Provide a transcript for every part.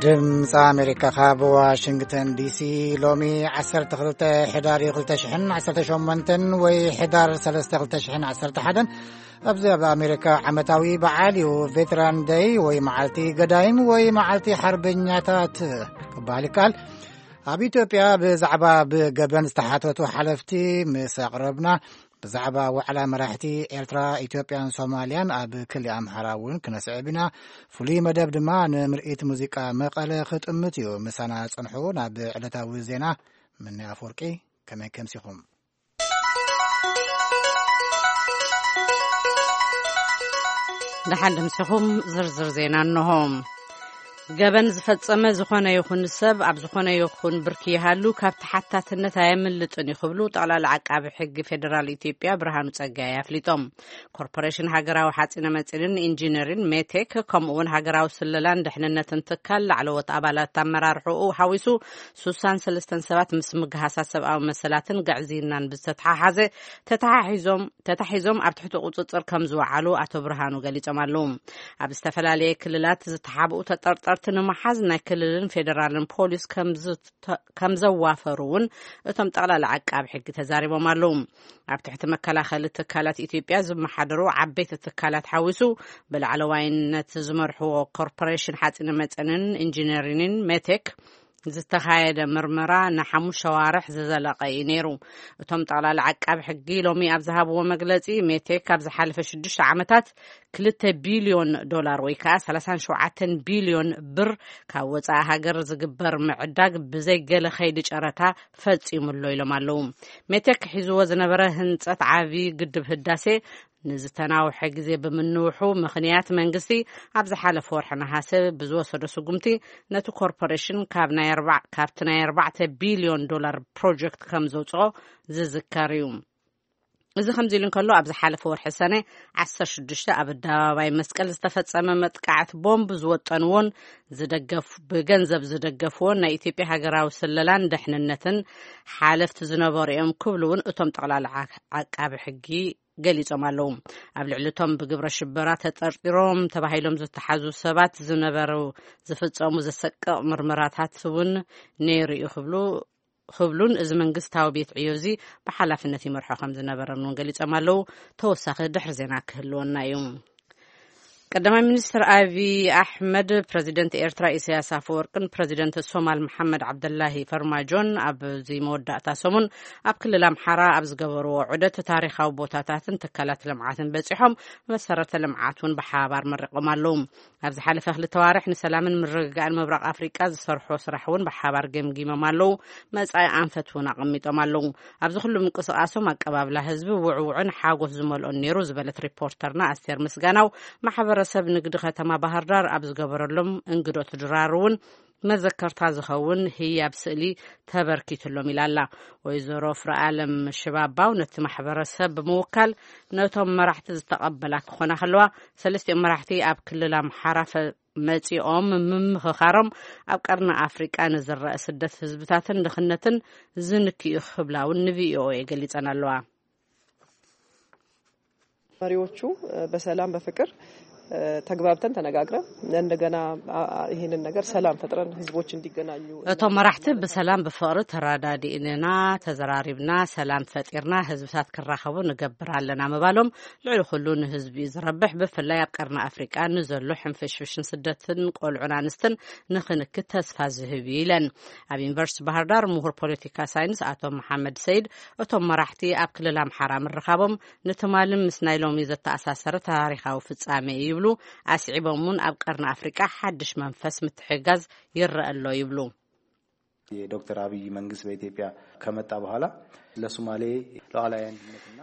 ድምፂ ኣሜሪካ ካብ ዋሽንግተን ዲሲ። ሎሚ ዓሰርተ ክልተ ሕዳር ክልተ ሽሕን ዓሰርተ ሸሞንተን ወይ ሕዳር ሰለስተ ክልተ ሽሕን ዓሰርተ ሓደን። ኣብዚ ኣብ ኣሜሪካ ዓመታዊ በዓል እዩ። ቬተራን ደይ ወይ መዓልቲ ገዳይም ወይ መዓልቲ ሓርበኛታት ክበሃል ይከኣል። ኣብ ኢትዮጵያ ብዛዕባ ብገበን ዝተሓተቱ ሓለፍቲ ምስ ኣቕረብና፣ ብዛዕባ ዋዕላ መራሕቲ ኤርትራ፣ ኢትዮጵያን ሶማልያን ኣብ ክሊ ኣምሓራ እውን ክነስዕብ ኢና። ፍሉይ መደብ ድማ ንምርኢት ሙዚቃ መቐለ ክጥምት እዩ። ምሳና ጽንሑ። ናብ ዕለታዊ ዜና። ምኒ ኣፍወርቂ፣ ከመይ ከምሲኹም? ደሓን ድምስኹም። ዝርዝር ዜና እንሆ። ገበን ዝፈጸመ ዝኾነ ይኹን ሰብ ኣብ ዝኾነ ይኹን ብርኪ ይሃሉ ካብ ተሓታትነት ኣየምልጥን እዩ ክብሉ ጠቕላላ ዓቃቢ ሕጊ ፌዴራል ኢትዮጵያ ብርሃኑ ጸጋይ ኣፍሊጦም። ኮርፖሬሽን ሃገራዊ ሓጺነ መጺንን ኢንጂነሪን ሜቴክ፣ ከምኡ እውን ሃገራዊ ስለላን ድሕንነትን ትካል ላዕለዎት ኣባላት ኣመራርሕኡ ሓዊሱ ስሳን ሰለስተን ሰባት ምስ ምግሃሳት ሰብኣዊ መሰላትን ግዕዝይናን ብዝተተሓሓዘ ተተሓሒዞም ተታሒዞም ኣብ ትሕቲ ቁጽጽር ከም ዝወዓሉ ኣቶ ብርሃኑ ገሊጾም ኣለዉ። ኣብ ዝተፈላለየ ክልላት ዝተሓብኡ ተጠርጠርቲ ንምሓዝ ናይ ክልልን ፌዴራልን ፖሊስ ከም ዝተ-፣ ከም ዘዋፈሩ እውን እቶም ጠቕላላ ዓቃቢ ሕጊ ተዛሪቦም ኣለዉ። ኣብ ትሕቲ መከላኸሊ ትካላት ኢትዮጵያ ዝመሓደሩ ዓበይቲ ትካላት ሓዊሱ ብላዕለዋይነት ዝመርሕዎ ኮርፖሬሽን ሓፂነ መፀንን ኢንጂነሪንን ሜቴክ ዝተኻየደ ምርመራ ንሓሙሽተ ኣዋርሕ ዝዘለቐ እዩ ነይሩ። እቶም ጠቕላላ ዓቃቢ ሕጊ ሎሚ ኣብ ዝሃብዎ መግለፂ፣ ሜቴክ ኣብ ዝሓለፈ ሽዱሽተ ዓመታት ክልተ ቢልዮን ዶላር ወይ ከዓ ሰላሳን ሸውዓተን ቢልዮን ብር ካብ ወፃኢ ሃገር ዝግበር ምዕዳግ ብዘይ ገለ ከይዲ ጨረታ ፈፂሙ ኣሎ ኢሎም ኣለዉ። ሜቴክ ሒዝዎ ዝነበረ ህንፀት ዓብዪ ግድብ ህዳሴ ንዝተናውሐ ግዜ ብምንውሑ ምኽንያት መንግስቲ ኣብ ዝሓለፈ ወርሒ ነሃሰ ብዝወሰዶ ስጉምቲ ነቲ ኮርፖሬሽን ካብ ናይ ኣርባዕ-፣ ካብቲ ናይ ኣርባዕተ ቢልዮን ዶላር ፕሮጀክት ከም ዘውፅኦ ዝዝከር እዩ። እዚ ከምዚ ኢሉ እንከሎ፣ ኣብ ዝሓለፈ ወርሒ ሰነ ዓሰርተ ሽዱሽተ ኣብ ኣደባባይ መስቀል ዝተፈጸመ መጥቃዕቲ ቦምብ ዝወጠንዎን ዝደገፍ-፣ ብገንዘብ ዝደገፍዎን ናይ ኢትዮጵያ ሃገራዊ ስለላን ደሕንነትን ሓለፍቲ ዝነበሩ እዮም ክብሉ እውን እቶም ጠቕላላ ዓ-፣ ዓቃቢ ሕጊ ገሊጾም ኣለዉ። ኣብ ልዕሊ እቶም ብግብረ ሽበራ ተጠርጢሮም ተባሂሎም ዝተሓዙ ሰባት ዝነበሩ ዝፍጸሙ ዘሰቅቕ ምርመራታት እውን ነይሩ እዩ ክብሉ፣ ክብሉን እዚ መንግስታዊ ቤት ዕዮ እዚ ብሓላፍነት ይመርሖ ከም ዝነበረን እውን ገሊጾም ኣለዉ። ተወሳኺ ድሕሪ ዜና ክህልወና እዩ። ቀዳማይ ሚኒስትር ኣብይ ኣሕመድ ፕረዚደንት ኤርትራ ኢሳያስ ኣፈወርቅን ፕረዚደንት ሶማል መሓመድ ዓብደላሂ ፈርማጆን ኣብዚ መወዳእታ ሰሙን ኣብ ክልል ኣምሓራ ኣብ ዝገበርዎ ዑደት ታሪኻዊ ቦታታትን ትካላት ልምዓትን በጺሖም መሰረተ ልምዓት እውን ብሓባር መሪቖም ኣለዉ። ኣብ ዝሓለፈ ክልተ ዋርሕ ንሰላምን ምርግጋእን ምብራቕ ኣፍሪቃ ዝሰርሖ ስራሕ እውን ብሓባር ገምጊሞም ኣለዉ። መጻኢ ኣንፈት እውን ኣቐሚጦም ኣለዉ። ኣብዚ ኩሉ ምንቅስቓሶም ኣቀባብላ ህዝቢ ውዕውዕን ሓጎስ ዝመልኦን ነይሩ ዝበለት ሪፖርተርና ኣስቴር ምስጋናው፣ ማሕበረሰብ ንግዲ ከተማ ባህር ዳር ኣብ ዝገበረሎም እንግዶ ድራር እውን መዘከርታ ዝኸውን ህያብ ስእሊ ተበርኪትሎም ኢላ ኣላ። ወይዘሮ ፍረኣለም ሽባባው ነቲ ማሕበረሰብ ብምውካል ነቶም መራሕቲ ዝተቐበላ ክኾና ከለዋ፣ ሰለስቲኦም መራሕቲ ኣብ ክልል ኣምሓራ ፈ-፣ መጺኦም ምምኽኻሮም ኣብ ቀርኒ ኣፍሪቃ ንዝረአ ስደት ህዝብታትን ድኽነትን ዝንክዩ ክብላ እውን ንቪኦኤ ገሊጸን ኣለዋ። መሪዎቹ፣ እ፣ በሰላም በፍቅር፣ እ፣ ተግባብተን ተነጋግረን እንደገና፣ አ-፣ አ-፣ ይሄንን ነገር ሰላም ፈጥረን ህዝቦች እንዲገናኙ እቶም መራሕቲ ብሰላም ብፍቕሪ ተረዳዲእና፣ ተዘራሪብና፣ ሰላም ፈጢርና ህዝብታት ክራኸቡ ንገብር ኣለና ምባሎም ልዕሊ ኩሉ ንህዝቢ እዩ ዝረብሕ። ብፍላይ ኣብ ቀርኒ ኣፍሪቃ ንዘሎ ሕንፍሽፍሽን ስደትን ቆልዑን ኣንስትን ንክንክት ተስፋ ዝህብ እዩ ኢለን። ኣብ ዩኒቨርሲቲ ባህር ዳር ምሁር ፖለቲካ ሳይንስ ኣቶ መሓመድ ሰይድ እቶም መራሕቲ ኣብ ክልል ኣምሓራ ምርኻቦም ንትማልን ምስ ናይ ሎሚ ዘተኣሳሰረ ታሪኻዊ ፍጻሜ እዩ ይብሉ። ኣስዒቦም እውን ኣብ ቀርኒ ኣፍሪቃ ሓድሽ መንፈስ ምትሕግጋዝ ይረአ ኣሎ ይብሉ። የዶክተር አብይ መንግስት በኢትዮጵያ ከመጣ በኋላ ለሶማሌ ሉዓላዊ አንድነትና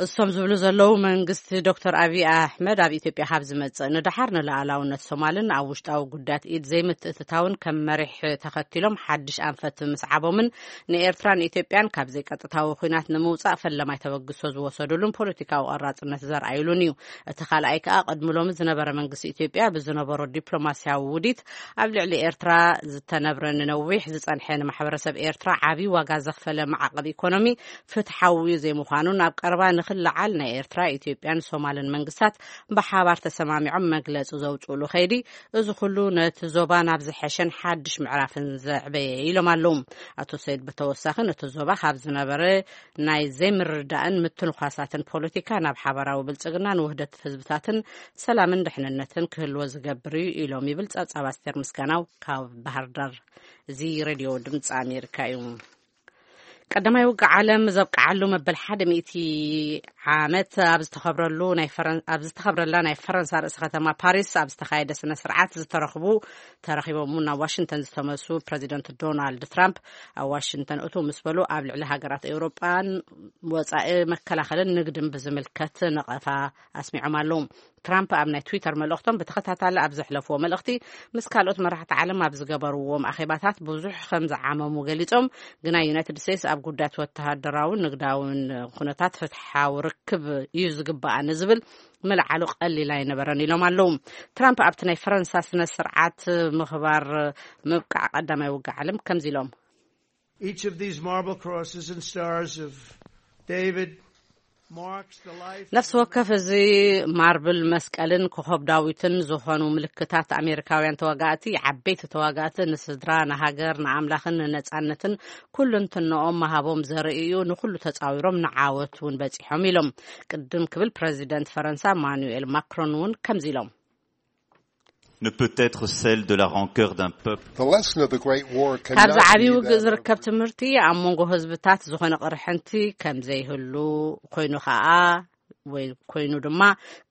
እሶም ዝብሉ ዘለዉ መንግስቲ ዶክተር አብይ ኣሕመድ ኣብ ኢትዮጵያ ካብ ዝመጽእ ንደሓር ንሉዓላውነት ሶማልን ኣብ ውሽጣዊ ጉዳያት ኢድ ዘይምትእትታውን ከም መሪሕ ተኸቲሎም ሓድሽ ኣንፈት ምስዓቦምን ንኤርትራን ኢትዮጵያን ካብ ዘይቀጥታዊ ኲናት ንምውጻእ ፈለማይ ተበግሶ ዝወሰዱሉን ፖለቲካዊ ቆራጽነት ዘርኣዩሉን እዩ። እቲ ካልኣይ ከኣ ቅድሚ ሎሚ ዝነበረ መንግስቲ ኢትዮጵያ ብዝነበሮ ዲፕሎማስያዊ ውዲት ኣብ ልዕሊ ኤርትራ ዝተነብረ ንነዊሕ ዝጸንሐ ንማሕበረሰብ ኤርትራ ዓቢ ዋጋ ዘኽፈለ ማዕቀብ ኢኮኖሚ ፍትሓዊ ዘይምዃኑን ኣብ ቀረባ ንክለዓል ናይ ኤርትራ፣ ኢትዮጵያን ሶማልን መንግስታት ብሓባር ተሰማሚዖም መግለጺ ዘውፅእሉ ከይዲ፣ እዚ ኩሉ ነቲ ዞባ ናብ ዝሐሸን ሓድሽ ምዕራፍን ዘዕበየ ኢሎም ኣለዉ። ኣቶ ሰይድ ብተወሳኺ ነቲ ዞባ ካብ ዝነበረ ናይ ዘይምርዳእን ምትንኳሳትን ፖለቲካ ናብ ሓባራዊ ብልጽግናን ውህደት ህዝብታትን ሰላምን ድሕንነትን ክህልዎ ዝገብር እዩ ኢሎም ይብል ጸብጻብ ኣስቴር ምስጋናው ካብ ባህር ዳር። እዚ ሬድዮ ድምፂ ኣሜሪካ እዩ። ቀዳማይ ውግእ ዓለም ዘብቅዓሉ መበል ሓደ ሚእቲ ዓመት ኣብ ዝተኸብረሉ ናይ ፈረን-፣ ኣብ ዝተኸብረላ ናይ ፈረንሳ ርእሰ ከተማ ፓሪስ ኣብ ዝተኻየደ ስነ ስርዓት ዝተረኽቡ፣ ተረኺቦም እውን ናብ ዋሽንግተን ዝተመሱ ፕረዚደንት ዶናልድ ትራምፕ ኣብ ዋሽንግተን እቱ ምስ በሉ ኣብ ልዕሊ ሃገራት ኤውሮጳን ወጻኢ መከላኸልን ንግድን ብዝምልከት ነቐፋ ኣስሚዖም ኣለዉ። ትራምፕ ኣብ ናይ ትዊተር መልእኽቶም ብተኸታታሊ ኣብ ዘሕለፍዎ መልእኽቲ ምስ ካልኦት መራሕቲ ዓለም ኣብ ዝገበርዎም ኣኼባታት ብዙሕ ከም ዝዓመሙ ገሊጾም፣ ግና ዩናይትድ ስቴትስ ኣብ ጉዳያት ወተሃደራውን ንግዳውን ኩነታት ፍትሓዊ ርክብ እዩ ዝግባኣ ንዝብል ምልዓሉ ቀሊል ኣይነበረን ኢሎም ኣለዉ። ትራምፕ ኣብቲ ናይ ፈረንሳ ስነ ስርዓት ምኽባር ምብቃዕ ቀዳማይ ውግእ ዓለም ከምዚ ኢሎም። Each of these marble crosses and stars of David marks the life ነፍሲ ወከፍ እዚ ማርብል መስቀልን ኮኸብ ዳዊትን ዝኾኑ ምልክታት ኣሜሪካውያን ተዋጋእቲ፣ ዓበይቲ ተዋጋእቲ፣ ንስድራ፣ ንሃገር፣ ንኣምላኽን ንነጻነትን ኩሉ እንትንኦም ምሃቦም ዘርኢ እዩ። ንኹሉ ተጻዊሮም ንዓወት እውን በጺሖም ኢሎም። ቅድም ክብል ፕረዚደንት ፈረንሳ ማኑኤል ማክሮን እውን ከምዚ ኢሎም። Ne peut être celle de la rancœur d'un peuple. The lesson of the Great War can ካብዚ never ዓብዪ be ውግእ that ዝርከብ ትምህርቲ ኣብ መንጎ ህዝብታት ዝኾነ ቅርሕንቲ ከም ዘይህሉ ኮይኑ ኸኣ ወይ ኮይኑ ድማ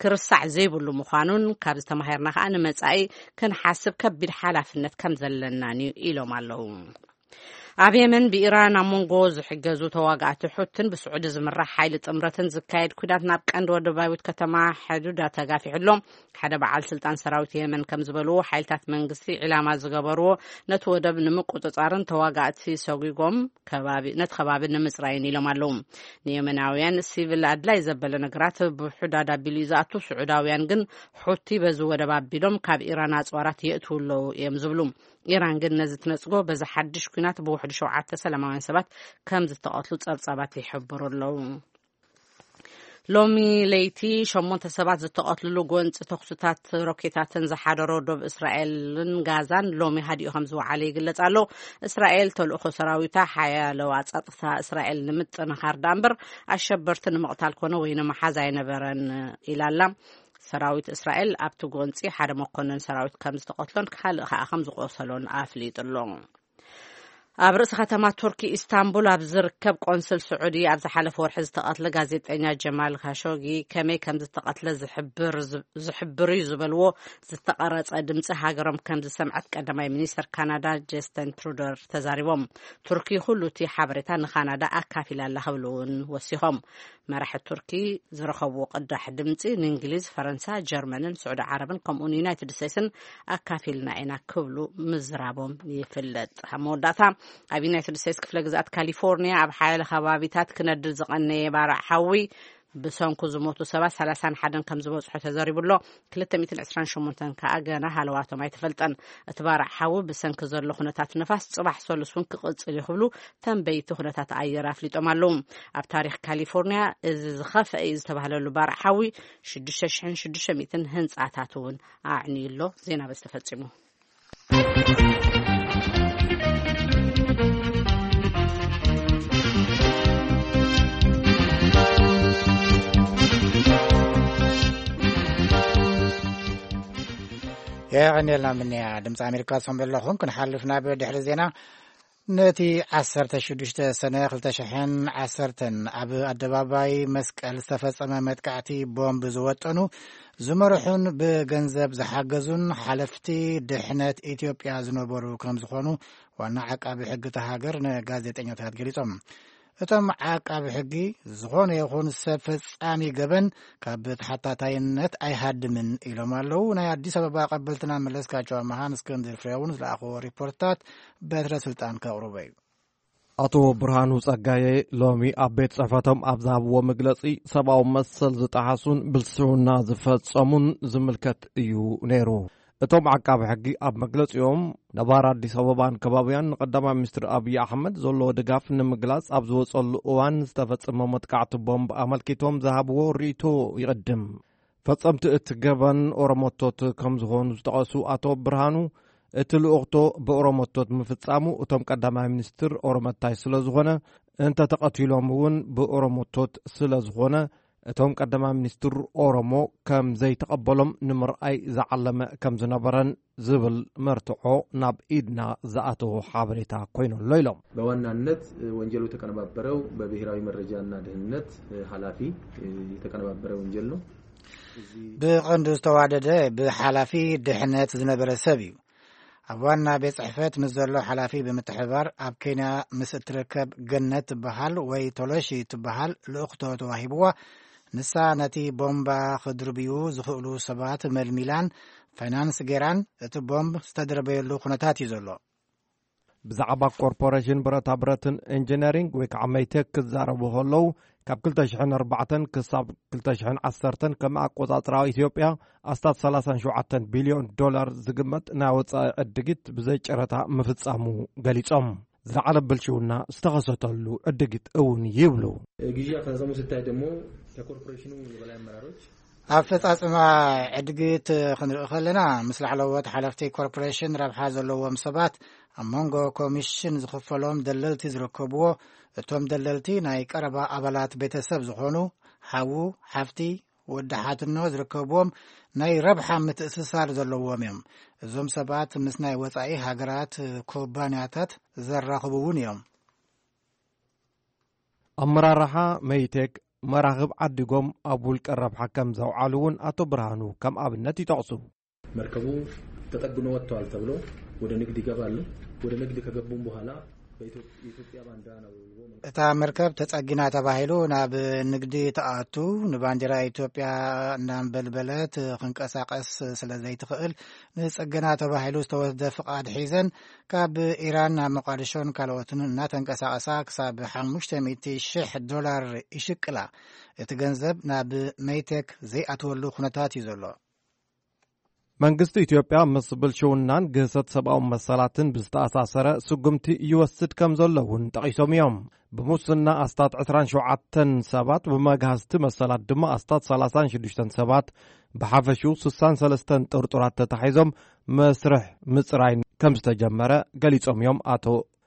ክርሳዕ ዘይብሉ ምዃኑን ካብዚ ተማሂርና ኸኣ ንመጻኢ ክንሓስብ ከቢድ ሓላፍነት ከም ዘለናን እዩ ኢሎም ኣለዉ። ኣብ የመን ብኢራን ኣብ መንጎ ዝሕገዙ ተዋጋእቲ ሑትን ብስዑዲ ዝምራሕ ሓይሊ ጥምረትን ዝካየድ ኩናት ናብ ቀንዲ ወደባዊት ከተማ ሕዱዳ ተጋፊሑ ኣሎ። ሓደ በዓል ስልጣን ሰራዊት የመን ከም ዝበልዎ፣ ሓይልታት መንግስቲ ዒላማ ዝገበርዎ ነቲ ወደብ ንምቁጽጻርን ተዋጋእቲ ሰጒጎም ከባቢ ነቲ ከባቢ ንምጽራይን ኢሎም ኣለዉ። ንየመናውያን ሲቪል ኣድላይ ዘበለ ነገራት ብሑዳድ ኣቢሉ እዩ ዝኣቱ። ስዑዳውያን ግን ሑቲ በዚ ወደብ ኣቢሎም ካብ ኢራን ኣጽዋራት የእትዉ ኣለዉ እዮም ዝብሉ። ኢራን ግን ነዚ ትነጽጎ። በዚ ሓድሽ ኲናት ብውሕዱ ሸውዓተ ሰላማውያን ሰባት ከም ዝተቐትሉ ጸብጻባት ይሕብሩ ኣለዉ። ሎሚ ለይቲ ሸሞንተ ሰባት ዝተቐትልሉ ጎንፂ ተኹስታት ሮኬታትን ዝሓደሮ ዶብ እስራኤልን ጋዛን ሎሚ ሃዲኡ ከም ዝወዓለ ይግለጽ ኣሎ። እስራኤል ተልእኾ ሰራዊታ ሓያለዋ ጸጥታ እስራኤል ንምጥንኻር ዳእምበር ኣሸበርቲ ንምቕታል ኮነ ወይ ንምሓዝ ኣይነበረን ኢላላ። ሰራዊት እስራኤል ኣብቲ ጎንፂ ሓደ መኮንን ሰራዊት ከም ዝተቐትሎን ካልእ ከዓ ከም ዝቆሰሎን ኣፍሊጡ ኣሎ። ኣብ ርእሲ ከተማ ቱርኪ ኢስታንቡል ኣብ ዝርከብ ቆንስል ስዑዲ ኣብ ዝሓለፈ ወርሒ ዝተቐትለ ጋዜጠኛ ጀማል ካሾጊ ከመይ ከም ዝተቐትለ ዝሕብር እዩ ዝበልዎ ዝተቐረጸ ድምፂ ሃገሮም ከም ዝሰምዐት ቀዳማይ ሚኒስተር ካናዳ ጀስቲን ትሩደር ተዛሪቦም። ቱርኪ ኩሉ እቲ ሓበሬታ ንካናዳ ኣካፊላ ኣላ ክብሉ እውን ወሲኾም። መራሒ ቱርኪ ዝረኸብዎ ቅዳሕ ድምፂ ንእንግሊዝ፣ ፈረንሳ፣ ጀርመንን ስዑዲ ዓረብን ከምኡውን ዩናይትድ ስቴትስን ኣካፊልና ኢና ክብሉ ምዝራቦም ይፍለጥ። ኣብ መወዳእታ ኣብ ዩናይትድ ስቴትስ ክፍለ ግዝኣት ካሊፎርኒያ ኣብ ሓያለ ከባቢታት ክነድድ ዝቐነየ ባርዕ ሓዊ ብሰንኩ ዝሞቱ ሰባት ሰላሳን ሓደን ከም ዝበፅሑ ተዘሪቡ ኣሎ። ክልተ ሚእትን ዕስራን ሸሞንተን ከዓ ገና ሃለዋቶም ኣይተፈልጠን። እቲ ባርዕ ሓዊ ብሰንኪ ዘሎ ኩነታት ንፋስ ፅባሕ ሰሉስ እውን ክቕፅል እዩ ክብሉ ተንበይቲ ኩነታት ኣየር ኣፍሊጦም ኣለዉ። ኣብ ታሪኽ ካሊፎርኒያ እዚ ዝኸፍአ እዩ ዝተባህለሉ ባርዕ ሓዊ ሽዱሽተ ሽሕን ሽዱሽተ ሚእትን ህንፃታት እውን ኣዕንዩ ኣሎ። ዜና በዚ ተፈጺሙ። የቐንየልና ምንያ ድምፂ ኣሜሪካ ትሰምዑ ኣለኹም። ክንሓልፍ ናብ ድሕሪ ዜና። ነቲ ዓሰርተ ሽዱሽተ ሰነ ክልተ ሽሕን ዓሰርተን ኣብ ኣደባባይ መስቀል ዝተፈጸመ መጥቃዕቲ ቦምብ ዝወጠኑ፣ ዝመርሑን ብገንዘብ ዝሓገዙን ሓለፍቲ ድሕነት ኢትዮጵያ ዝነበሩ ከም ዝኾኑ ዋና ዓቃቢ ሕጊ እታ ሃገር ንጋዜጠኛታት ገሊጾም። እቶም ዓቃቢ ሕጊ፣ ዝኾነ ይኹን ሰብ ፈጻሚ ገበን ካብ ተሓታታይነት ኣይሃድምን ኢሎም ኣለዉ። ናይ ኣዲስ ኣበባ ቀበልትና መለስካቸው ኣመሃን እስክንድር ፍሬውን ዝለኣኽዎ ሪፖርትታት በትረ ስልጣን ከቕርቦ እዩ። ኣቶ ብርሃኑ ጸጋየ ሎሚ ኣብ ቤት ጽሕፈቶም ኣብ ዝሃብዎ መግለጺ፣ ሰብኣዊ መሰል ዝጠሓሱን ብልሽውና ዝፈጸሙን ዝምልከት እዩ ነይሩ። እቶም ዓቃቢ ሕጊ ኣብ መግለጺኦም፣ ነባር ኣዲስ ኣበባን ከባቢያን ንቀዳማይ ሚኒስትር ኣብይ ኣሕመድ ዘለዎ ድጋፍ ንምግላጽ ኣብ ዝወጸሉ እዋን ዝተፈጸመ መጥቃዕቲ ቦምብ ኣመልኪቶም ዝሃብዎ ርእይቶ ይቕድም። ፈጸምቲ እቲ ገበን ኦሮሞቶት ከም ዝኾኑ ዝጠቐሱ ኣቶ ብርሃኑ፣ እቲ ልኡኽቶ ብኦሮሞቶት ምፍጻሙ እቶም ቀዳማይ ሚኒስትር ኦሮመታይ ስለ ዝኾነ፣ እንተ ተቐቲሎም እውን ብኦሮሞቶት ስለ ዝኾነ፣ እቶም ቀዳማይ ሚኒስትር ኦሮሞ ከም ዘይተቐበሎም ንምርኣይ ዝዓለመ ከም ዝነበረን ዝብል መርትዖ ናብ ኢድና ዝኣተወ ሓበሬታ ኮይኑ ኣሎ ኢሎም። በዋናነት ወንጀሉ የተቀነባበረው በብሔራዊ መረጃና ደህንነት ኃላፊ የተቀነባበረ ወንጀል ነው። ብቐንዱ ዝተዋደደ ብሓላፊ ድሕነት ዝነበረ ሰብ እዩ። ኣብ ዋና ቤት ጽሕፈት ምስ ዘሎ ሓላፊ ብምትሕባር ኣብ ኬንያ ምስ እትርከብ ገነት ትበሃል ወይ ቶሎሺ ትበሃል ልእኽቶ ተዋሂብዋ። ንሳ ነቲ ቦምባ ክድርብዩ ዝኽእሉ ሰባት መልሚላን ፋይናንስ ጌራን እቲ ቦምብ ዝተደረበየሉ ኩነታት እዩ ዘሎ። ብዛዕባ ኮርፖሬሽን ብረታ ብረትን ኢንጂነሪንግ ወይ ከዓ መይቴክ ክዛረቡ ከለዉ፣ ካብ ክልተ ሽሕን ኣርባዕተን ክሳብ ክልተ ሽሕን ዓሰርተን ከም ኣቆጻጽራ ኢትዮጵያ ኣስታት ሰላሳን ሸውዓተን ቢልዮን ዶላር ዝግመት ናይ ወጻኢ ዕድጊት ብዘይ ጨረታ ምፍጻሙ ገሊጾም። ዝለዓለ ብልሽውና ዝተኸሰተሉ ዕድጊት እውን ይብሉ። ግዢ አፈጻጸሙ ስታይ ደግሞ ከኮርፖሬሽኑ የበላይ አመራሮች ኣፈጻጽማ ዕድጊት ክንርኢ ከለና ምስ ላዕለዎት ሓለፍቲ ኮርፖሬሽን ረብሓ ዘለዎም ሰባት ኣብ መንጎ ኮሚሽን ዝኽፈሎም ደለልቲ ዝርከብዎ፣ እቶም ደለልቲ ናይ ቀረባ ኣባላት ቤተሰብ ዝኾኑ ሓዉ፣ ሓፍቲ፣ ወዲ ሓትኖ ዝርከብዎም ናይ ረብሓ ምትእስሳር ዘለዎም እዮም። እዞም ሰባት ምስ ናይ ወጻኢ ሃገራት ኩባንያታት ዘራኽቡ እውን እዮም። ኣመራርሓ መይቴክ መራኽብ ዓዲጎም ኣብ ውልቀ ረብሓ ከም ዘውዓሉ እውን ኣቶ ብርሃኑ ከም ኣብነት ይጠቕሱ። መርከቡ ተጠግኖ ወጥተዋል ተብሎ ወደ ንግድ ይገባሉ። ወደ ንግድ ከገቡም በኋላ በኢትዮጵያ ባንዲራ ነው። እታ መርከብ ተጸጊና ተባሂሉ ናብ ንግዲ ተኣቱ፣ ንባንዲራ ኢትዮጵያ እናንበልበለት ክንቀሳቀስ ስለ ዘይትኽእል ንጽገና ተባሂሉ ዝተወስደ ፍቓድ ሒዘን ካብ ኢራን ናብ መቃድሾን ካልኦትን እናተንቀሳቀሳ ክሳብ ሓሙሽተ ሚእቲ ሽሕ ዶላር ይሽቅላ። እቲ ገንዘብ ናብ መይቴክ ዘይኣትወሉ ኩነታት እዩ ዘሎ። መንግስቲ ኢትዮጵያ ምስ ብልሽውናን ግህሰት ሰብኣዊ መሰላትን ብዝተኣሳሰረ ስጉምቲ ይወስድ ከም ዘሎ እውን ጠቒሶም እዮም። ብሙስና ኣስታት ዕስራን ሸውዓተን ሰባት፣ ብመግሃስቲ መሰላት ድማ ኣስታት ሰላሳን ሽዱሽተን ሰባት፣ ብሓፈሽኡ ስሳን ሰለስተን ጥርጡራት ተታሒዞም መስርሕ ምጽራይ ከም ዝተጀመረ ገሊጾም እዮም ኣቶ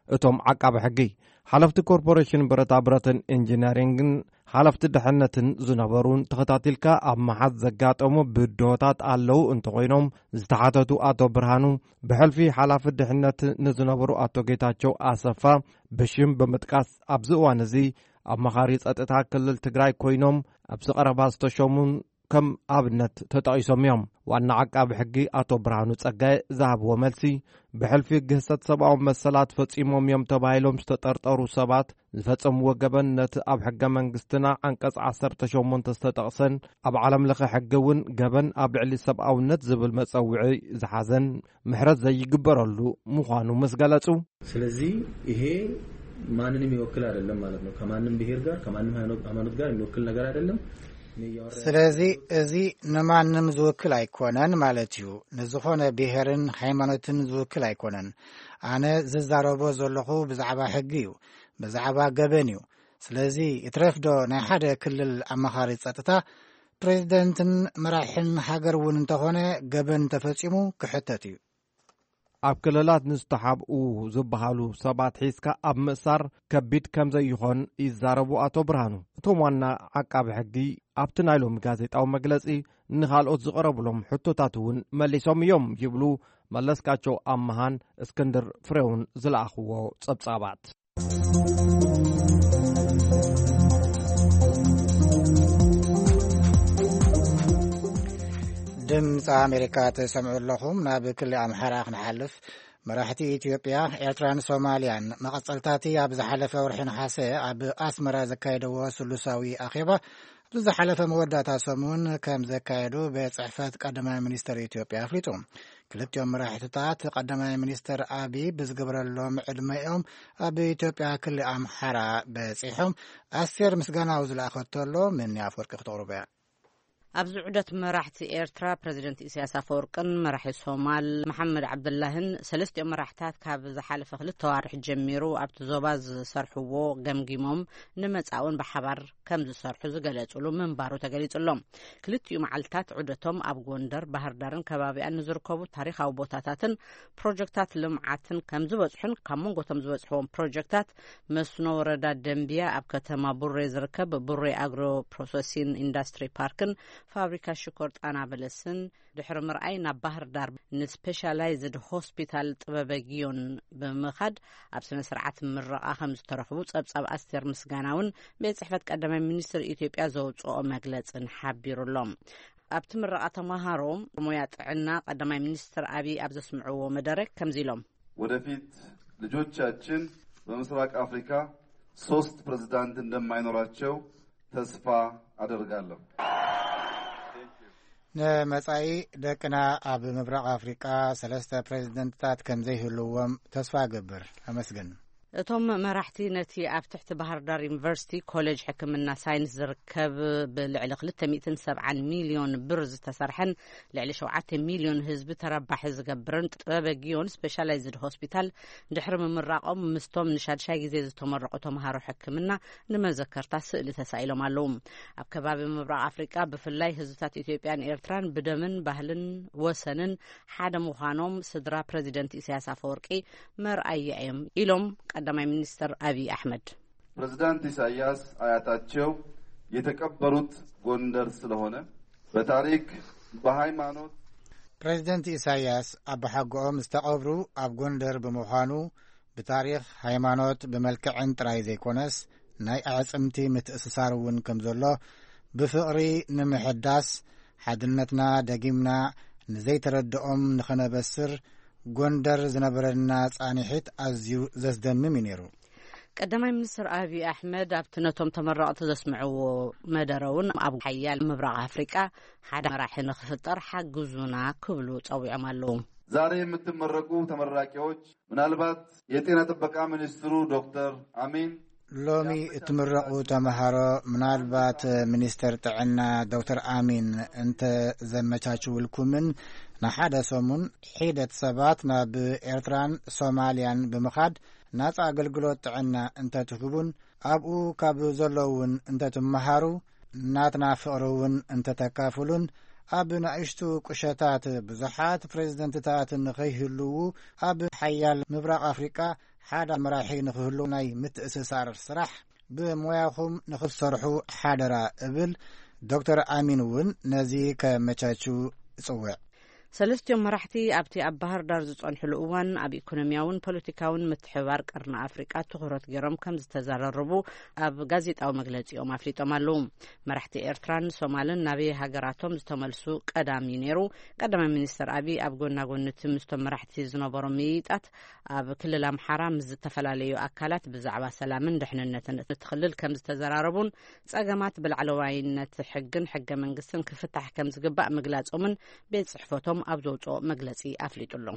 እቶም ዓቃቢ ሕጊ። ሓለፍቲ ኮርፖሬሽን ብረታ ብረትን ኢንጂነሪንግን ሓለፍቲ ድሕነትን ዝነበሩን ተኸታቲልካ ኣብ መሓዝ ዘጋጠሙ ብድሆታት ኣለዉ እንተኾይኖም፣ ዝተሓተቱ ኣቶ ብርሃኑ፣ ብሕልፊ ሓላፊ ድሕነት ንዝነበሩ ኣቶ ጌታቸው ኣሰፋ ብሽም ብምጥቃስ፣ ኣብዚ እዋን እዚ ኣማኻሪ ጸጥታ ክልል ትግራይ ኮይኖም ኣብዚ ቀረባ ዝተሸሙን ከም ኣብነት ተጠቒሶም እዮም። ዋና ዓቃቢ ሕጊ ኣቶ ብርሃኑ ጸጋይ ዝሃብዎ መልሲ፣ ብሕልፊ ግህሰት ሰብኣዊ መሰላት ፈጺሞም እዮም ተባሂሎም ዝተጠርጠሩ ሰባት ዝፈጸምዎ ገበን ነቲ ኣብ ሕገ መንግስትና ዓንቀጽ ዓሰርተ ሸሞንተ ዝተጠቕሰን ኣብ ዓለም ለኸ ሕጊ እውን ገበን ኣብ ልዕሊ ሰብኣውነት ዝብል መጸውዒ ዝሓዘን ምሕረት ዘይግበረሉ ምዃኑ ምስ ገለጹ፣ ስለዚህ ይሄ ማንንም ይወክል አይደለም ማለት ነው። ከማንም ብሔር ጋር ከማንም ሃይማኖት ጋር የሚወክል ነገር አይደለም። ስለዚ እዚ ንማንም ዝውክል ኣይኮነን ማለት እዩ። ንዝኾነ ብሔርን ሃይማኖትን ዝውክል ኣይኮነን። ኣነ ዝዛረቦ ዘለኹ ብዛዕባ ሕጊ እዩ፣ ብዛዕባ ገበን እዩ። ስለዚ ይትረፍዶ ናይ ሓደ ክልል ኣማኻሪ ጸጥታ፣ ፕሬዚደንትን መራሕን ሃገር እውን እንተኾነ ገበን እንተፈጺሙ ክሕተት እዩ። ኣብ ክልላት ንዝተሓብኡ ዝበሃሉ ሰባት ሒዝካ ኣብ ምእሳር ከቢድ ከም ዘይኾን ይዛረቡ ኣቶ ብርሃኑ። እቶም ዋና ዓቃቢ ሕጊ ኣብቲ ናይ ሎሚ ጋዜጣዊ መግለጺ ንኻልኦት ዝቐረብሎም ሕቶታት እውን መሊሶም እዮም ይብሉ መለስካቸው ኣመሃን እስክንድር ፍሬውን ዝለኣኽዎ ጸብጻባት። ድምፂ ኣሜሪካ ትሰምዑ ኣለኹም። ናብ ክሊ ኣምሓራ ክንሓልፍ፣ መራሕቲ ኢትዮጵያ፣ ኤርትራን ሶማልያን መቐጸልታቲ ኣብ ዝሓለፈ ወርሒ ነሓሰ ኣብ ኣስመራ ዘካየደዎ ስሉሳዊ ኣኼባ፣ ብዝሓለፈ መወዳእታ ሰሙን ከም ዘካየዱ ቤት ጽሕፈት ቀዳማይ ሚኒስተር ኢትዮጵያ ኣፍሊጡ። ክልቲኦም መራሕትታት ቀዳማይ ሚኒስተር ኣቢ ብዝገበረሎም ዕድመኦም ኣብ ኢትዮጵያ ክሊ ኣምሓራ በጺሖም። ኣስቴር ምስጋናው ዝለኣኸቶ ኣሎ፣ ምኒ ኣፍወርቂ ክተቕርቦ እያ። ኣብዚ ዑደት መራሕቲ ኤርትራ ፕረዚደንት ኢሳያስ ኣፈወርቅን መራሒ ሶማል መሓመድ ዓብደላህን፣ ሰለስቲኦም መራሕታት ካብ ዝሓለፈ ክልተ ዋርሕ ጀሚሩ ኣብቲ ዞባ ዝሰርሕዎ ገምጊሞም፣ ንመጻእውን ብሓባር ከም ዝሰርሑ ዝገለጹሉ ምንባሩ ተገሊጹሎም። ክልቲኡ መዓልታት ዑደቶም ኣብ ጎንደር፣ ባህር ዳርን ከባቢኣን ንዝርከቡ ታሪኻዊ ቦታታትን ፕሮጀክታት ልምዓትን ከም ዝበጽሑን፣ ካብ መንጎቶም ዝበጽሕዎም ፕሮጀክታት መስኖ ወረዳ ደንቢያ፣ ኣብ ከተማ ቡሬ ዝርከብ ቡሬ ኣግሮ ፕሮሰሲን ኢንዱስትሪ ፓርክን ፋብሪካ ሽኮር ጣና በለስን ድሕሪ ምርኣይ፣ ናብ ባህር ዳር ንስፔሻላይዝድ ሆስፒታል ጥበበ ጊዮን ብምኻድ ኣብ ስነ ስርዓት ምረቓ ከም ዝተረኽቡ ጸብጻብ ኣስቴር ምስጋናውን ቤት ጽሕፈት ቀዳማይ ሚኒስትር ኢትዮጵያ ዘውጽኦ መግለጽን ሓቢሩሎም። ኣብቲ ምረቓ ተማሃሮ ሞያ ጥዕና ቀዳማይ ሚኒስትር ኣብይ ኣብ ዘስምዕዎ መደረ ከምዚ ኢሎም። ወደፊት ልጆቻችን በምስራቅ አፍሪካ ሶስት ፕሬዝዳንት እንደማይኖራቸው ተስፋ አደርጋለሁ። ንመጻኢ ደቅና ኣብ ምብራቕ ኣፍሪቃ ሰለስተ ፕሬዝደንትታት ከም ዘይህልዎም ተስፋ እገብር። ኣመስግን። እቶም መራሕቲ ነቲ ኣብ ትሕቲ ባህር ዳር ዩኒቨርሲቲ ኮሌጅ ሕክምና ሳይንስ ዝርከብ ብልዕሊ ክልተ ሚእትን ሰብዓን ሚልዮን ብር ዝተሰርሐን ልዕሊ ሸውዓተ ሚልዮን ህዝቢ ተረባሒ ዝገብርን ጥበበ ጊዮን ስፔሻላይዝድ ሆስፒታል ድሕሪ ምምራቖም ምስቶም ንሻድሻይ ግዜ ዝተመረቑ ተምሃሮ ሕክምና ንመዘከርታ ስእሊ ተሳኢሎም ኣለዉ። ኣብ ከባቢ ምብራቕ ኣፍሪቃ ብፍላይ ህዝብታት ኢትዮጵያን ኤርትራን ብደምን ባህልን ወሰንን ሓደ ምዃኖም ስድራ ፕረዚደንት ኢሳያስ ኣፈወርቂ መርኣያ እዮም ኢሎም ቀዳማይ ሚኒስትር ኣብይ ኣሕመድ። ፕሬዝዳንት ኢሳያስ አያታቸው የተቀበሩት ጎንደር ስለሆነ በታሪክ በሃይማኖት ፕሬዝደንት ኢሳያስ ኣቦሓጎኦም ዝተቐብሩ ኣብ ጎንደር ብምዃኑ ብታሪኽ ሃይማኖት ብመልክዕን ጥራይ ዘይኮነስ ናይ ኣዕጽምቲ ምትእስሳር እውን ከም ዘሎ ብፍቕሪ ንምሕዳስ ሓድነትና ደጊምና ንዘይተረድኦም ንኸነበስር ጎንደር ዝነበረና ጻንሒት ኣዝዩ ዘስደምም እዩ ነይሩ። ቀዳማይ ሚኒስትር ኣብይ ኣሕመድ ኣብቲ ነቶም ተመረቕቲ ዘስምዕዎ መደረ እውን ኣብ ሓያል ምብራቕ ኣፍሪቃ ሓደ መራሒ ንኽፍጠር ሓግዙና ክብሉ ጸዊዖም ኣለዉ። ዛሬ የምትመረቁ ተመራቂዎች ምናልባት የጤና ጥበቃ ሚኒስትሩ ዶክተር አሚን ሎሚ እትምረቑ ተምሃሮ ምናልባት ሚኒስተር ጥዕና ዶክተር ኣሚን እንተ ዘመቻችውልኩምን ንሓደ ሰሙን ሒደት ሰባት ናብ ኤርትራን ሶማልያን ብምኻድ ናጻ ኣገልግሎት ጥዕና እንተትህቡን ኣብኡ ካብ ዘለውን እንተትመሃሩ ናትና ፍቕሪ እውን እንተተካፍሉን ኣብ ንኣሽቱ ቁሸታት ብዙሓት ፕሬዝደንትታት ንኸይህልዉ ኣብ ሓያል ምብራቕ ኣፍሪቃ ሓደ መራሒ ንኽህሉ ናይ ምትእስሳር ስራሕ ብሞያኹም ንኽትሰርሑ ሓደራ እብል። ዶክተር ኣሚን እውን ነዚ ከመቻችው እጽውዕ። ሰለስቲኦም መራሕቲ ኣብቲ ኣብ ባህር ዳር ዝጸንሕሉ እዋን ኣብ ኢኮኖሚያውን ፖለቲካውን ምትሕብባር ቀርኒ ኣፍሪቃ ትኹረት ገይሮም ከም ዝተዘራረቡ ኣብ ጋዜጣዊ መግለጺኦም ኣፍሊጦም ኣለዉ። መራሕቲ ኤርትራን ሶማልን ናበይ ሃገራቶም ዝተመልሱ ቀዳም እዩ ነይሩ። ቀዳማይ ሚኒስትር ኣብይ ኣብ ጎና ጎኒ እቲ ምስቶም መራሕቲ ዝነበሮም ምይይጣት ኣብ ክልል ኣምሓራ ምስ ዝተፈላለዩ ኣካላት ብዛዕባ ሰላምን ድሕንነትን እቲ ክልል ከም ዝተዘራረቡን ጸገማት ብላዕለዋይነት ሕግን ሕገ መንግስትን ክፍታሕ ከም ዝግባእ ምግላጾምን ቤት ጽሕፈቶም ኣብ ዘውጽኦ መግለጺ ኣፍሊጡ ኣሎ።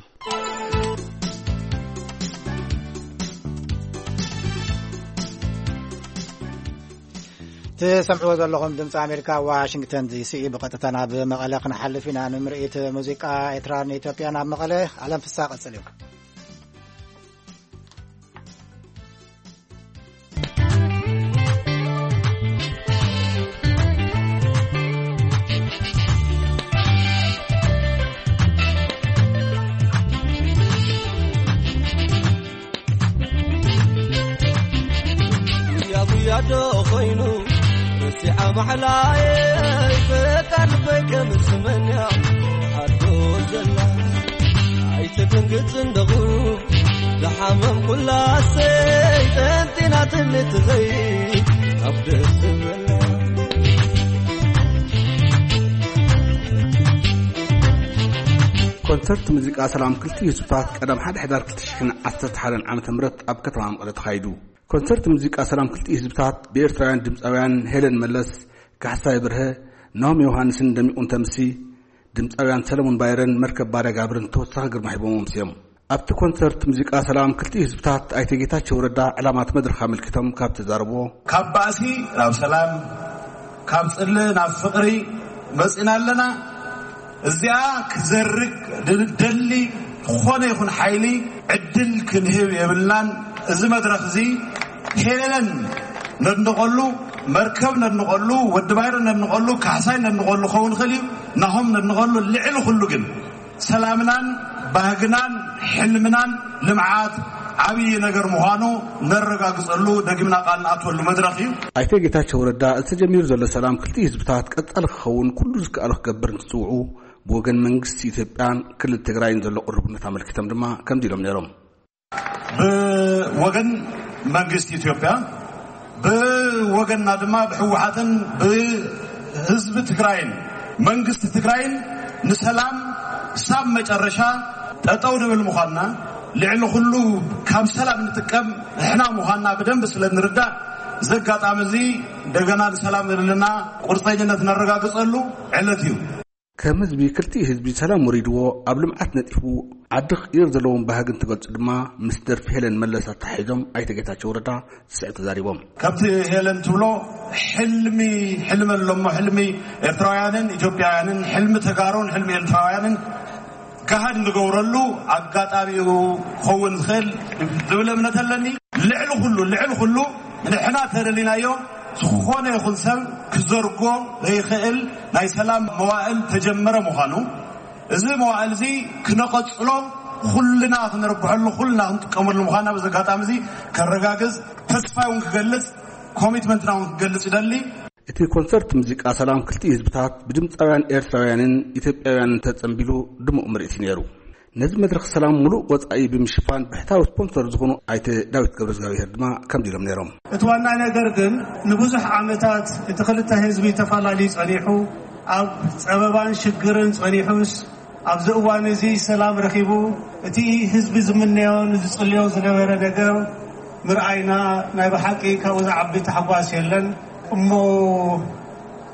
ትሰምዕዎ ዘለኹም ድምፂ ኣሜሪካ ዋሽንግተን ዲሲ እዩ። ብቐጥታ ናብ መቐለ ክንሓልፍ ኢና። ንምርኢት ሙዚቃ ኤርትራን ኢትዮጵያን ኣብ መቐለ ኣለም ፍሳ ቀፅል እዩ። ጉያ ጉያ ዶ ኾይኑ ረሲዓ ማሕላየይ በቃ ልበይ ከም ስመንያ ሓዶ ዘላ ኣይትድንግጽ እንደኹ ዝሓመም ኩላ ሰይጠን ጢናትኒ ትኸይድ ኣብ ደስ ዝበላ። ኮንሰርት ሙዚቃ ሰላም ክልቲኡ ህዝብታት ቀዳም ሓደ ሕዳር ክልተ ሽሕን ዓሰርተ ሓደን ዓመተ ምህረት ኣብ ከተማ መቐለ ተኻይዱ። ኮንሰርት ሙዚቃ ሰላም ክልቲኡ ህዝብታት ብኤርትራውያን ድምፃውያን ሄለን መለስ፣ ካሕሳይ ብርሀ፣ ናሆም ዮሃንስን ደሚቑ እንተምሲ፣ ድምፃውያን ሰለሙን ባይረን መርከብ ባርያ ጋብርን ተወሳኺ ግርማ ሂቦም ኣምስዮም። ኣብቲ ኮንሰርት ሙዚቃ ሰላም ክልቲኡ ህዝብታት ኣይተ ጌታቸው ረዳ ዕላማት መድረኽ ኣመልኪቶም ካብ ተዛረብዎ፣ ካብ ባእሲ ናብ ሰላም፣ ካብ ጽልኢ ናብ ፍቕሪ፣ መጺና ኣለና። እዚኣ ክዘርግ ደሊ ዝኾነ ይኹን ሓይሊ ዕድል ክንህብ የብልናን። እዚ መድረኽ እዚ ሄለን ነድንቐሉ፣ መርከብ ነድንቐሉ፣ ወዲ ባይረ ነድንቐሉ፣ ካሕሳይ ነድንቐሉ ክኸውን ይኽእል እዩ። ናሆም ነድንቐሉ። ልዕሊ ኩሉ ግን ሰላምናን ባህግናን ሕልምናን ልምዓት ዓብዪ ነገር ምዃኑ ነረጋግጸሉ፣ ደጊምና ቃል ንኣትወሉ መድረኽ እዩ። ኣይተ ጌታቸው ረዳ፣ ዝተጀሚሩ ዘሎ ሰላም ክልቲኡ ህዝብታት ቀጻሊ ክኸውን ኩሉ ዝከኣሎ ክገብር እንትጽውዑ፣ ብወገን መንግስቲ ኢትዮጵያን ክልል ትግራይን ዘሎ ቅርቡነት ኣመልኪቶም ድማ ከምዚ ኢሎም ነይሮም። ብወገን መንግስቲ ኢትዮጵያ፣ ብወገንና ድማ ብህወሓትን ብህዝቢ ትግራይን መንግስቲ ትግራይን ንሰላም ሳብ መጨረሻ ጠጠው ንብል ምዃንና፣ ልዕሊ ኩሉ ካብ ሰላም ንጥቀም ንሕና ምዃንና ብደንብ ስለ ንርዳእ፣ እዚ ኣጋጣሚ እዚ እንደገና ንሰላም ዘለና ቁርፀኝነት ነረጋግፀሉ ዕለት እዩ። ከም ህዝቢ፣ ክልቲኡ ህዝቢ ሰላም ወሪድዎ ኣብ ልምዓት ነጢፉ ዓዲ ክቕይር ዘለዎም ባህጊ እንትገልጹ ድማ ምስ ደርፊ ሄለን መለስ ኣተሓሒዞም ኣይተ ጌታቸው ረዳ ዝስዕብ ተዛሪቦም። ከምቲ ሄለን ትብሎ፣ ሕልሚ፣ ሕልሚ ኣሎ እሞ፣ ሕልሚ ኤርትራውያንን ኢትዮጵያውያንን፣ ሕልሚ ተጋሩን ሕልሚ ኤርትራውያንን ገሃድ እንገብረሉ ኣጋጣሚ እዩ ክኸውን ዝኽእል ዝብል እምነት ኣለኒ። ልዕሊ ኩሉ፣ ልዕሊ ኩሉ ንሕና ተደሊናዮ ዝኾነ ይኹን ሰብ ክዘርጎ ዘይኽእል ናይ ሰላም መዋእል ተጀመረ ምዃኑ፣ እዚ መዋእል እዚ ክነቐጽሎ፣ ኩልና ክንርብሐሉ፣ ኩልና ክንጥቀመሉ ምዃና በዚ ኣጋጣሚ እዚ ከረጋግጽ፣ ተስፋ እውን ክገልጽ፣ ኮሚትመንትና እውን ክገልጽ ይደሊ። እቲ ኮንሰርት ሙዚቃ ሰላም ክልቲኡ ህዝብታት ብድምፃውያን ኤርትራውያንን ኢትዮጵያውያንን ተጸንቢሉ ድሙቕ ምርኢት እዩ ነይሩ። ነዚ መድረኽ ሰላም ሙሉእ ወጻኢ ብምሽፋን ብሕታዊ ስፖንሰር ዝኾኑ ኣይተ ዳዊት ገብረእግዚኣብሔር ድማ ከምዚ ኢሎም ነይሮም። እቲ ዋና ነገር ግን ንብዙሕ ዓመታት እቲ ክልተ ህዝቢ ተፋላልዩ ጸኒሑ፣ ኣብ ጸበባን ሽግርን ጸኒሑስ ኣብዚ እዋን እዚ ሰላም ረኺቡ እቲ ህዝቢ ዝምነዮን ዝጽልዮ ዝነበረ ነገር ምርኣይና ናይ ብሓቂ ካብኡ ዝዓቢ ታሕጓስ የለን። እሞ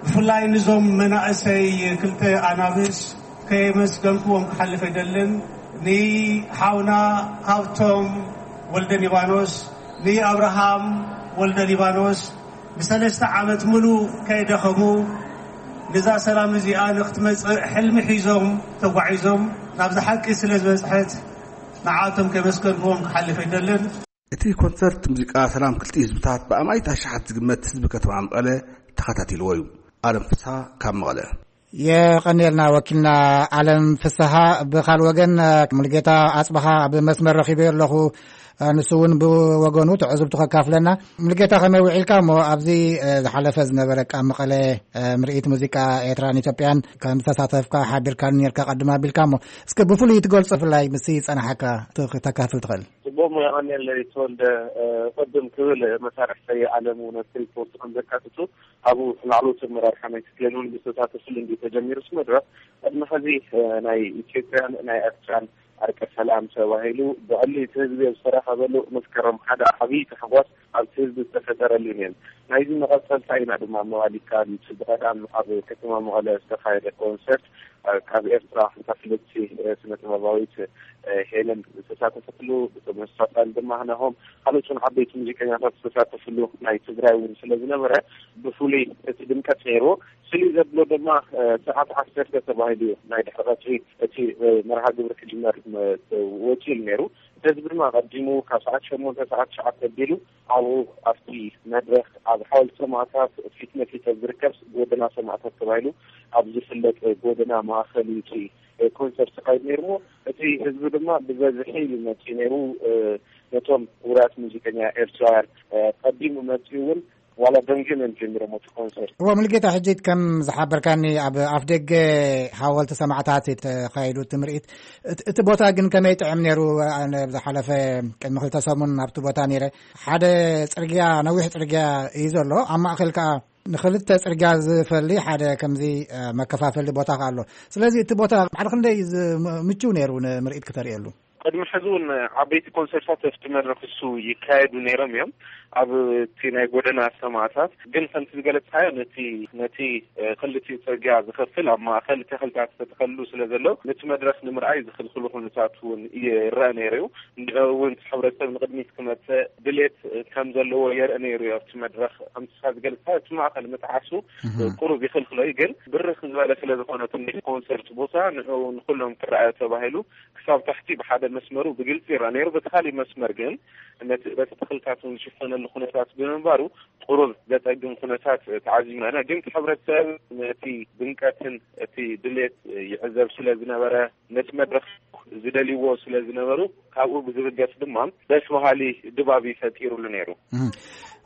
ብፍላይ ንዞም መናእሰይ ክልተ ኣናብስ ከየመስገንኩዎም ክሓልፍ ኣይደልን። ንሓውና ሃብቶም ወልደ ሊባኖስ፣ ንኣብርሃም ወልደ ሊባኖስ፣ ንሰለስተ ዓመት ሙሉ ከይደኸሙ ነዛ ሰላም እዚኣ ንክትመጽእ ሕልሚ ሒዞም ተጓዒዞም ናብዚ ሓቂ ስለ ዝበጽሐት ንዓቶም ከመስገንክዎም ክሓልፍ ኣይደልን። እቲ ኮንሰርት ሙዚቃ ሰላም ክልቲኡ ህዝብታት ብኣማኢት ኣሽሓት ዝግመት ህዝቢ ከተማ መቐለ ተኸታቲልዎ እዩ። ኣለም ፍስሃ ካብ መቐለ። የቐንየልና ወኪልና ኣለም ፍስሃ። ብኻል ወገን ሙልጌታ ኣጽብሃ ኣብ መስመር ረኺበ ኣለኹ። ንሱ እውን ብወገኑ ትዕዝብቱ ከካፍለና። ሙልጌታ ከመይ ውዒልካ እሞ ኣብዚ ዝሓለፈ ዝነበረ ኣብ መቐለ ምርኢት ሙዚቃ ኤርትራን ኢትዮጵያን ከም ዝተሳተፍካ ሓቢርካኒ ነርካ ቀድም ኣቢልካ እሞ እስከ ብፍሉይ ትገልጾ ብፍላይ ምስ ጸናሓካ ተካፍል ትኽእል? ጽቡቕ እሞ የቐንየለይ ተወልደ። ቅድም ክብል መሳርሕተይ ኣለም እውን ኣብቲ ሪፖርት ከም ዘካትቱ ኣብኡ ላዕለዎት ኣመራርሓ ናይቲ ክልል እውን ብዝተሳተፍሉ እንዲ ተጀሚሩ እቲ መድረኽ። ቅድሚ ሕዚ ናይ ኢትዮጵያን ናይ ኤርትራን ኣርቀ ሰላም ተባሂሉ ብዕሊ እቲ ህዝቢ ኣብ ዝተረኸበሉ መስከረም ሓደ ዓብዪ ታሕጓስ ኣብቲ ህዝቢ ዝተፈጠረሉ እዩ ነይሩ። ናይዚ መቐጸልታ ኢና ድማ ምባል ይከኣል እዩ። እቲ ብቐዳም ኣብ ከተማ መቐለ ዝተኻየደ ኮንሰርት ካብ ኤርትራ ሓንታ ፍልጥቲ ስነ ጥበባዊት ሄለን ዝተሳተፈትሉ፣ ብተመሳሳሊ ድማ ናሆም ካልኦት እውን ዓበይቲ ሙዚቀኛታት ዝተሳተፍሉ ናይ ትግራይ እውን ስለ ዝነበረ ብፍሉይ እቲ ድምቀት ነይርዎ። ፍልይ ዘብሎ ድማ ሰዓት ዓሰርተ ተባሂሉ እዩ ናይ ድሕሪ ቀትሪ እቲ መርሃ ግብሪ ክጅመር ወፂኡ ነይሩ። እዚ ድማ ቀዲሙ ካብ ሰዓት ሸሞንተ ሰዓት ትሽዓተ ኣቢሉ ኣብኡ ኣብቲ መድረኽ ኣብ ሓወልቲ ሰማእታት ፊት ንፊት ኣብ ዝርከብ ጎደና ሰማእታት ተባሂሉ ኣብ ዝፍለጥ ጎደና ማእኸል እዩ እቲ ኮንሰርት ተኻይዱ ነይሩ። እሞ እቲ ህዝቢ ድማ ብበዝሒ እዩ መፂኡ ነይሩ። ነቶም ውሩያት ሙዚቀኛ ኤርትራውያን ቀዲሙ መፂኡ እውን ዋላ ደንጊዮም እዮም ጀሚሮም እቲ ኮንሰርት። እዎ፣ ሙሉጌታ፣ ሕጂ ከም ዝሓበርካኒ ኣብ ኣፍ ደገ ሓወልቲ ሰማዕታት እዩ ተኻይዱ እቲ ምርኢት። እቲ ቦታ ግን ከመይ ጥዕም ነይሩ? ኣነ ዝሓለፈ ቅድሚ ክልተ ሰሙን ኣብቲ ቦታ ነይረ። ሓደ ጽርግያ፣ ነዊሕ ጽርግያ እዩ ዘሎ። ኣብ ማእከል ከኣ ንኽልተ ጽርግያ ዝፈሊ ሓደ ከምዚ መከፋፈሊ ቦታ ከኣ ኣሎ። ስለዚ እቲ ቦታ ባዕሉ ክንደይ ምቹው ነይሩ ንምርኢት ክተርእየሉ? ቅድሚ ሕዚ እውን ዓበይቲ ኮንሰርታት ኣብቲ መድረኽ እሱ ይካየዱ ነይሮም እዮም። ኣብ እቲ ናይ ጎደና ሰማዕታት ግን ከምቲ ዝገለጽካዮ ነቲ ነቲ ክልቲኡ ጽርግያ ዝኸፍል ኣብ ማእከል ተኽልታት ዝተተኸሉ ስለ ዘሎ ነቲ መድረኽ ንምርኣይ ዝኽልክሉ ኩነታት እውን ይረአ ነይሩ እዩ። እውን ሕብረተሰብ ንቕድሚት ክመጽእ ድሌት ከም ዘለዎ የርኢ ነይሩ እዩ። ኣብቲ መድረኽ ከምቲ ዝገለጽካዮ እቲ ማእከል ምጥዓሱ ቁሩብ ይኽልክሎ እዩ። ግን ብርኽ ዝበለ ስለ ዝኾነ እቲ ናይ ኮንሰርት ቦታ ንዕኡ ንኹሎም ክረኣዮ ተባሂሉ ክሳብ ታሕቲ ብሓደ መስመሩ ብግልጺ ይረኣ ነይሩ። በቲ ካሊእ መስመር ግን ነቲ በቲ ተኽልታት እውን ዝሽፈነሉ ኩነታት ብምንባሩ ቁሩብ ዘጸግም ኩነታት ተዓዚብና ኢና። ግን እቲ ሕብረተሰብ ነቲ ድምቀትን እቲ ድሌት ይዕዘብ ስለ ዝነበረ ነቲ መድረኽ ዝደልይዎ ስለ ዝነበሩ ካብኡ ብዝብገስ ድማ ደስ በሃሊ ድባብ እዩ ፈጢሩሉ ነይሩ።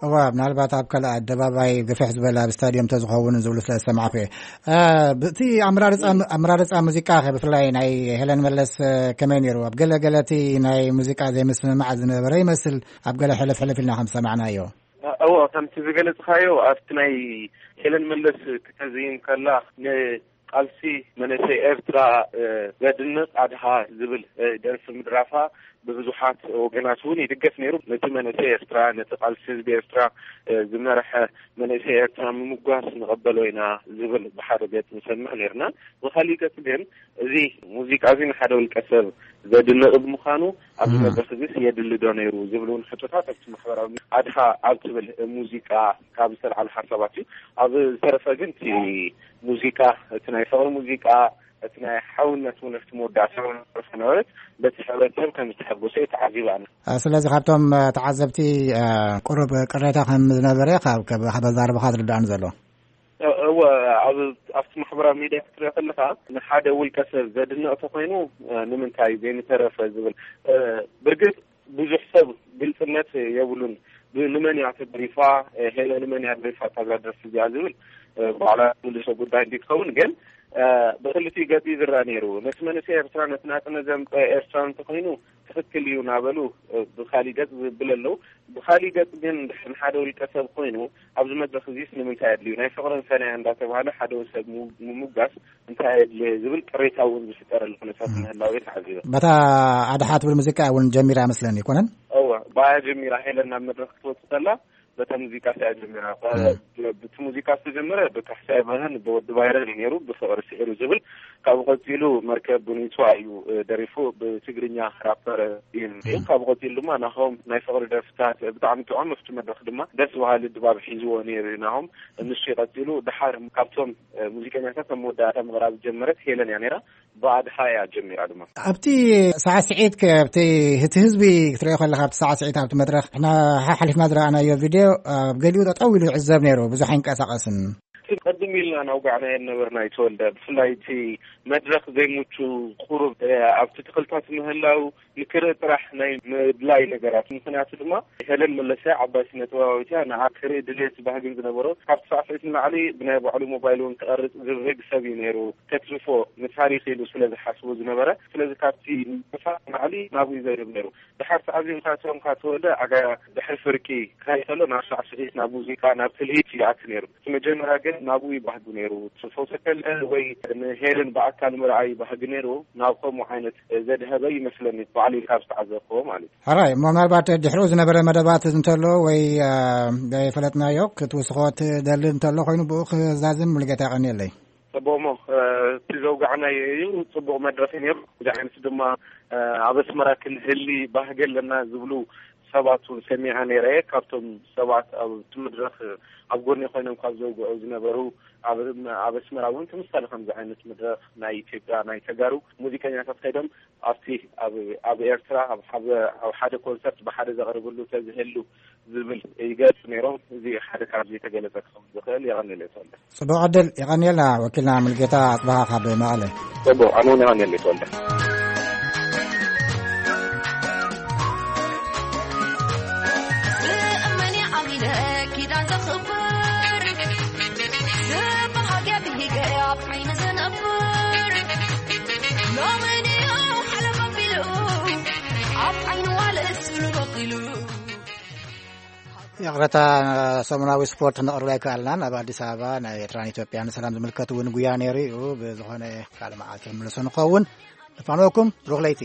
እዋ፣ ምናልባት ኣብ ካልእ ኣደባባይ ግፍሕ ዝበለ ኣብ ስታድዮም ተዝኸውን ዝብሉ ስለ ዝሰማዕኩ እየ። ብእቲ ኣመራርፃ ኣመራርፃ ሙዚቃ ከ ብፍላይ ናይ ሄለን መለስ ከመይ ነይሩ? ኣብ ገለ ገለ እቲ ናይ ሙዚቃ ዘይምስምማዕ ዝነበረ ይመስል፣ ኣብ ገለ ሕልፍ ሕልፍ ኢልና ከም ዝሰማዕናዮ። እዎ፣ ከምቲ ዝገለጽካዮ ኣብቲ ናይ ሄለን መለስ ክተዝይን ከላ ቃልሲ መንእሰይ ኤርትራ ዘድንቕ ኣድሃ ዝብል ደርፊ ምድራፋ ብብዙሓት ወገናት እውን ይድገፍ ነይሩ። ነቲ መንእሰይ ኤርትራ፣ ነቲ ቃልሲ ህዝቢ ኤርትራ ዝመርሐ መንእሰይ ኤርትራ ምምጓስ ንቐበሎ ኢና ዝብል ብሓደ ገጽ ንሰምዕ ነይርና። ብኻሊእ ገጽ ግን እዚ ሙዚቃ እዚ ንሓደ ውልቀ ሰብ ዘድንቕ ብምዃኑ ኣብዚ መድረኽ እዚስ የድሊ ዶ ነይሩ ዝብል እውን ሕቶታት ኣብቲ ማሕበራዊ ኣድሃ ኣብ ትብል ሙዚቃ ካብ ዝተልዓሉ ሓሳባት እዩ። ኣብ ዝተረፈ ግን እቲ ሙዚቃ፣ እቲ ናይ ፍቕሪ ሙዚቃ፣ እቲ ናይ ሓውነት እውን ኣብቲ መወዳእታ እውን ዝነበረት በቲ ሕብረተሰብ ከም ዝተሐጎሰ እዩ ተዓዚበ ኣነ። ስለዚ ካብቶም ተዓዘብቲ ቁሩብ ቅሬታ ከም ዝነበረ ካብ ካብ ኣዛርባኻ ዝርዳእኒ ዘሎ። እወ፣ ኣብ ኣብቲ ማሕበራዊ ሚድያ ክትሪኦ ከለኻ ንሓደ ውልቀ ሰብ ዘድንቕ ተኾይኑ ንምንታይ ዘይምተረፈ ዝብል፣ ብርግጽ ብዙሕ ሰብ ግልጽነት የብሉን። ብ- ንመን እያ ተደሪፋ፣ ሄለ ንመን እያ ደሪፋ እዛ ደርፊ እዚኣ ዝብል ባዕላ ትምልሶ ጉዳይ እንዲ ትኸውን፣ ግን ብክልቲኡ ገጽ እዩ ዝረኣ ነይሩ። ነቲ መንእሰይ ኤርትራ፣ ነቲ ናጽነት ዘምጸ ኤርትራ እንተኾይኑ ትኽክል እዩ እናበሉ ብካሊእ ገጽ ዝብል ኣለዉ። ብካሊእ ገጽ ግን ንሓደ ውልቀ ሰብ ኮይኑ ኣብዚ መድረኽ እዚስ ንምንታይ ኣድልዩ? ናይ ፍቕርን ሰናያን እንዳተባህለ ሓደ ሰብ ምሙ- ምሙጋስ እንታይ ኣየድልየ ዝብል ቅሬታ እውን ዝፍጠረሉ ኩነታት ምህላው እየ ተዓዚበ። በታ ኣድሓ ትብል ሙዚቃ እውን ጀሚራ መስለኒ ይኮነን? እወ፣ ብኣያ ጀሚራ ሄለን ናብ መድረኽ ክትወጽእ ከላ በታ ሙዚቃ እያ ጀሚራ። እቲ ሙዚቃ ዝተጀመረ ብካሕሳይ በርሀን ብወዲ ባይረን እዩ ነይሩ፣ ብፍቕሪ ስዒሩ ዝብል። ካብኡ ቀጺሉ መርከብ ቡኒቷ እዩ ደሪፉ፣ ብትግርኛ ራፐር እዩ። ካብኡ ቀጺሉ ድማ ናሆም ናይ ፍቕሪ ደርፍታት ብጣዕሚ ጥዑም፣ ኣብቲ መድረኽ ድማ ደስ በሃሊ ድባብ ሒዝዎ ነይሩ እዩ ናሆም። ንሱ እዩ ቀጺሉ። ድሓር ካብቶም ሙዚቀኛታት ኣብ መወዳእታ ምቕራብ ዝጀመረት ሄለን እያ ነይራ። ብኣድሃ እያ ጀሚራ ድማ። ኣብቲ ሳዕስዒት ከ ኣብቲ እቲ ህዝቢ ክትሪኦ ከለካ ኣብቲ ሳዕስዒት ኣብቲ መድረኽ ንሕና ሓሓሊፍና ዝረኣናዮ ቪድዮ ኣብ ገሊኡ ጠጠው ኢሉ ይዕዘብ ነይሩ፣ ብዙሕ ኣይንቀሳቐስን። ቀድም ኢልና ናውጋዕናዮ ነበርና ይተወልደ። ብፍላይ እቲ መድረኽ ዘይምቹ ቁሩብ ኣብቲ ተኽልታት ምህላው ንክርኢ ጥራሕ ናይ ምድላይ ነገራት። ምክንያቱ ድማ ሄለን መለሰ ዓባይ ስነ ጥበባዊት እያ። ንዓ ክርኢ ድልየት ባህግን ዝነበሮ ካብቲ ሳዕስዒት ንላዕሊ ብናይ ባዕሉ ሞባይል እውን ክቐርጽ ዝብህግ ሰብ እዩ ነይሩ። ከትርፎ ንታሪኽ ኢሉ ስለ ዝሓስቦ ዝነበረ፣ ስለዚ ካብቲ ንሳ ንላዕሊ ናብኡ ይዘርብ ነይሩ። ድሓር ተዓዚምካ እቶም ካተወልደ ኣጋ ድሕሪ ፍርቂ ክኸይድ ከሎ ናብ ሳዕስዒት፣ ናብ ሙዚቃ፣ ናብ ትልሂት ይኣቲ ነይሩ። እቲ መጀመርያ ግን ናብኡ ይባህጉ ነይሩ። ፈውሰ ከለ ወይ ንሄለን ብኣካል ምርኣይ ይባህግ ነይሩ። ናብ ከምኡ ዓይነት ዘድሀበ ይመስለኒ፣ ባዕሉ ካብ ዝተዓዘብክዎ ማለት እዩ። ሕራይ እሞ ምናልባት ድሕሪኡ ዝነበረ መደባት እንተሎ ወይ ዘይፈለጥናዮ ክትውስኾ ትደሊ እንተሎ ኮይኑ ብኡ ክዛዝም ሙሉጌታ የቐንየለይ። ጽቡቕ እሞ እቲ ዘውጋዕናዮ እዩ። ጽቡቕ መድረኽ እዩ ነይሩ። እዚ ዓይነት ድማ ኣብ ኣስመራ ክንህሊ ባህጊ ኣለና ዝብሉ ሰባት እውን ሰሚዐ ነይረ እየ። ካብቶም ሰባት ኣብቲ መድረኽ ኣብ ጎኒ ኮይኖም ካብ ዘውግዑ ዝነበሩ ኣብ ኣብ ኣስመራ እውን ተመሳሳሊ ከምዚ ዓይነት መድረኽ ናይ ኢትዮጵያ ናይ ተጋሩ ሙዚቀኛታት ከይዶም ኣብቲ ኣብ ኣብ ኤርትራ ኣብ ሓደ ኮንሰርት ብሓደ ዘቕርብሉ ተዝህሉ ዝብል ይገልጹ ነይሮም። እዚ ሓደ ካብ ዘይተገለጸ ክኸውን ዝኽእል። የቐንየለይ ተወልደ። ጽቡቕ ዕድል የቐንየልና ወኪልና ሙልጌታ ኣጽብሃ ካብ መቐለ። ጽቡቕ ኣነ እውን የቐንየለይ ተወልደ። ይቕረታ፣ ሰሙናዊ ስፖርት ነቕርብ ኣይከኣልናን። ኣብ ኣዲስ ኣበባ ናይ ኤርትራን ኢትዮጵያን ሰላም ዝምልከት እውን ጉያ ነይሩ እዩ። ብዝኾነ ካልእ መዓልቲ ክንምልሶ ንኸውን። ንፋንወኩም ብሩኽ ለይቲ።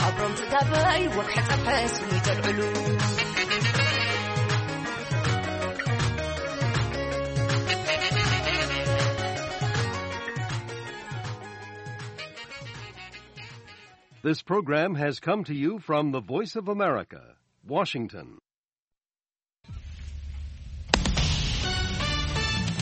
ሓብሮም ስጋበይ ወግሐ ጸብሐ ስሙ ይተልዕሉ። This program has come to you from the Voice of America, Washington.